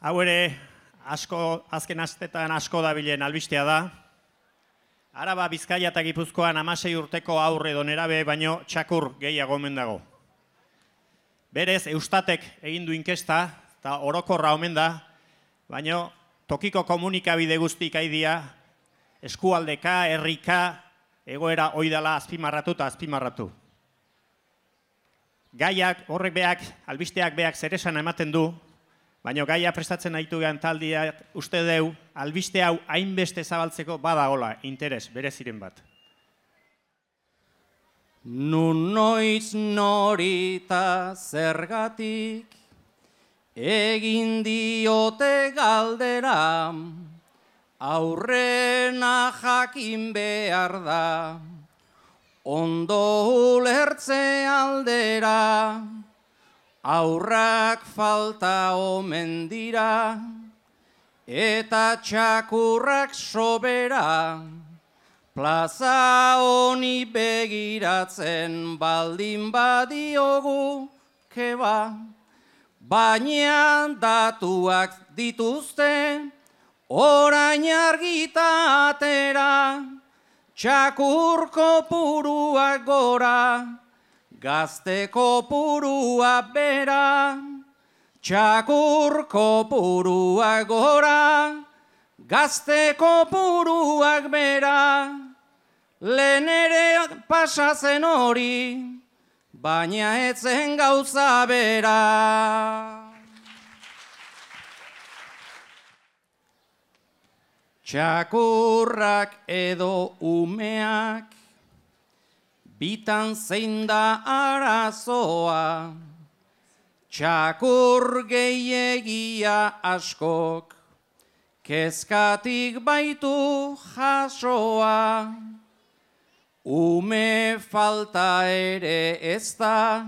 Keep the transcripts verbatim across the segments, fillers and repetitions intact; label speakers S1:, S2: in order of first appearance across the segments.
S1: Hau ere, asko, azken astetan asko dabilen albistea da. Araba, Bizkaia eta Gipuzkoan hamasei urteko aurre edo nerabe baino txakur gehiago omen dago. Berez, Eustatek egin du inkesta, eta orokorra omen da, baino tokiko komunikabide guztik aidia, eskualdeka, herrika, egoera oidala azpimarratu eta azpimarratu. Gaiak, horrek beak, albisteak beak zeresan ematen du, baina gaia prestatzen aitu gehan taldia uste deu, albiste hau hainbeste zabaltzeko badagola interes bereziren bat.
S2: Nun noiz norita zergatik egin diote galdera, aurrena jakin behar da, ondo ulertze aldera, aurrak falta omen dira, eta txakurrak sobera, plaza honi begiratzen baldin badiogu keba, baina datuak dituzte, orain argita atera, txakur kopuruak gora, gazte kopurua bera, txakur kopuruak gora, gazte kopuruak bera, lehen ere pasazen hori, baina etzen gauza bera. Txakurrak edo umeak, bitan zein da arazoa, txakur gehiagia askok, kezkatik baitu jasoa, ume falta ere ez da,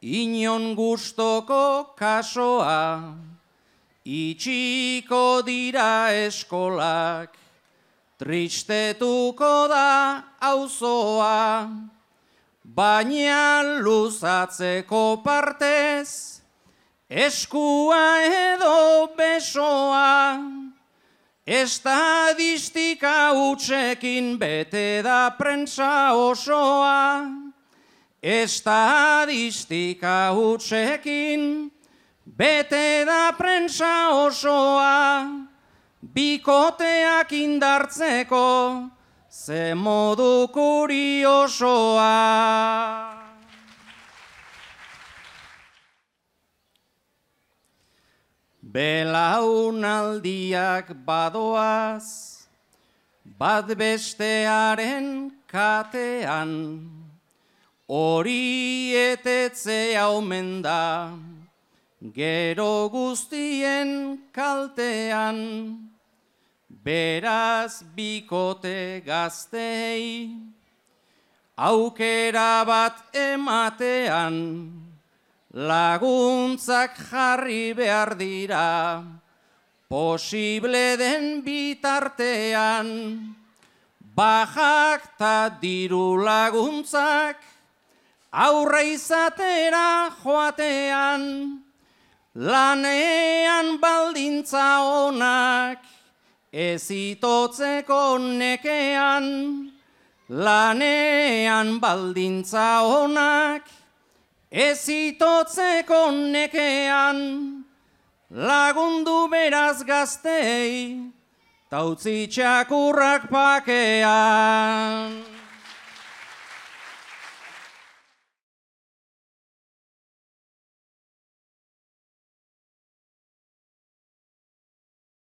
S2: inon gustoko kasoa, itxiko dira eskolak, tristetuko da auzoa, baina luzatzeko partez, eskua edo besoa, estadistika hutsekin bete da prentsa osoa, estadistika hutsekin bete da prentsa osoa, bikoteak indartzeko ze modu kuriosoa. Belaunaldiak badoaz, bat bestearen katean, hori etetzea omen da, gero guztien kaltean, beraz bikote gaztei, aukera bat ematean, laguntzak jarri behar dira, posible den bitartean, bajak ta diru laguntzak, aurre izatera joatean, lanean baldintza onak, ez itotzeko nekean, lanean baldintza onak, ez itotzeko nekean, lagundu beraz gaztei, ta utzi txakurrak pakean.